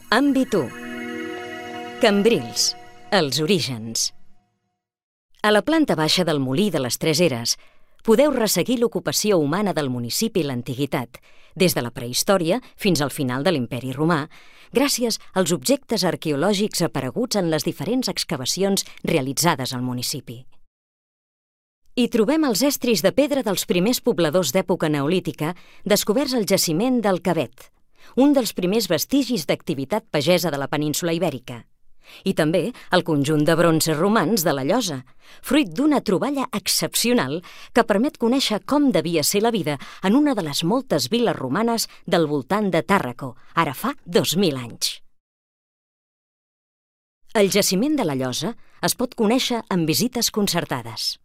Àmbit 1. Cambrils, els orígens. A la planta baixa del Molí de les Tres Eres podeu resseguir l'ocupació humana del municipi i l'antiguitat, des de la prehistòria fins al final de l'Imperi Romà, gràcies als objectes arqueològics apareguts en les diferents excavacions realitzades al municipi. Hi trobem els estris de pedra dels primers pobladors d'època neolítica descoberts al jaciment del Cavet, un dels primers vestigis d'activitat pagesa de la península Ibèrica, i també el conjunt de bronzes romans de la Llosa, fruit d'una troballa excepcional que permet conèixer com devia ser la vida en una de les moltes viles romanes del voltant de Tàrraco, ara fa 2000 anys. El jaciment de la Llosa es pot conèixer amb visites concertades.